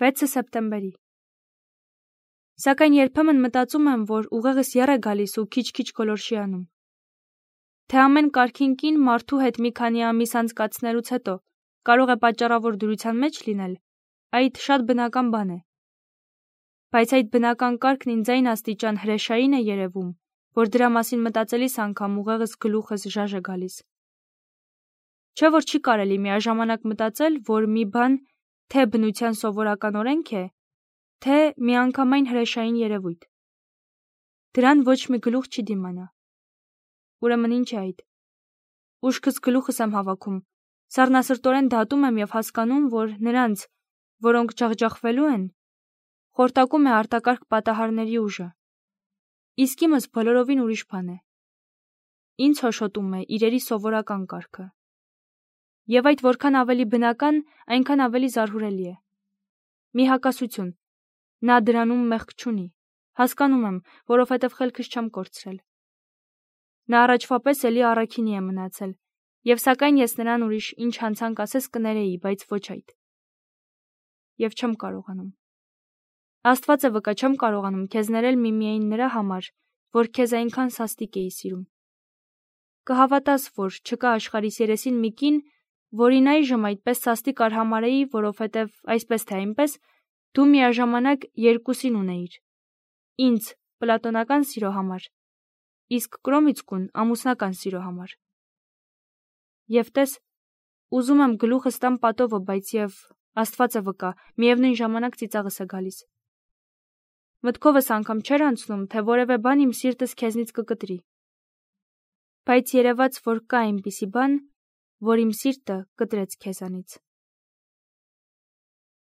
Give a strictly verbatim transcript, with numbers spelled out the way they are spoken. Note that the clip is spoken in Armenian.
վեցը սեպտեմբերի։ Սակայն երբեմն մտածում եմ, որ ուղեղս եռ է գալիս ու քիչ-քիչ գոլորշի անում։ Թե ամեն կարգին կին մարդու հետ մի քանի ամիս անցկացնելուց հետո կարող է պատճառավոր դրության մեջ լինել, այդ շատ բնական բան է։ Բայց այդ բնական կարգն ինձ այն աստիճան հրեշային է երևում, որ դրա մասին մտածելիս անգամ ուղեղս գլուխս ժաժ է գալիս։ Չէ՞ որ չի կարելի միաժամանակ մտածել, որ մի բան թե բնության սովորական օրենք է, թե միանգամայն հրեշային երևույթ։ Դրան ոչ մի գլուխ չի դիմանա։ Ուրեմն ինչ է այդ։ Ուշքս գլուխս եմ հավաքում, սառնասրտորեն դատում եմ և հասկանում, որ նրանց, որոնք ջախջախվելու են, խորտակում է արտակարգ պատահարների ուժը։ Իսկ իմս բոլորովին ուրիշ բան է։ Ինձ հոշոտում է իրերի սովորական կարգը։ Եվ այդ որքան ավելի բնական, այնքան ավելի զարհուրելի է։ Մի հակասություն։ Նա դրանում մեղք չունի։ Հասկանում եմ, որովհետև խելքս չեմ կորցրել։ Նա առաջվա պես էլի առաքինի է մնացել, և սակայն ես նրան ուրիշ ինչ հանցանք ասես կներեի, բայց ոչ այդ։ Եվ չեմ կարողանում։ Աստված է վկա, չեմ կարողանում քեզ ներել միմիայն նրա համար, որ քեզ այնքան սաստիկ էի սիրում։ Կհավատաս, որ չկա աշխարհիս երեսին մի կին, որին այժմ այդպես սաստիկ արհամարհեի, որովհետև այսպես թե այնպես դու միաժամանակ երկուսին ունեիր. ինձ պլատոնական սիրո համար, իսկ Կրոմիցկուն ամուսնական սիրո համար։ Եվ տես, ուզում եմ գլուխս տամ պատովը, բայց և Աստված է վկա, միևնույն ժամանակ ծիծաղս է գալիս։ Մտքովս անգամ չէր անցնում, թե որևէ բան իմ սիրտս քեզնից կկտրի։ Բայց երևաց, որ կա այնպիսի բան, որ իմ սիրտը կտրեց քեզանից։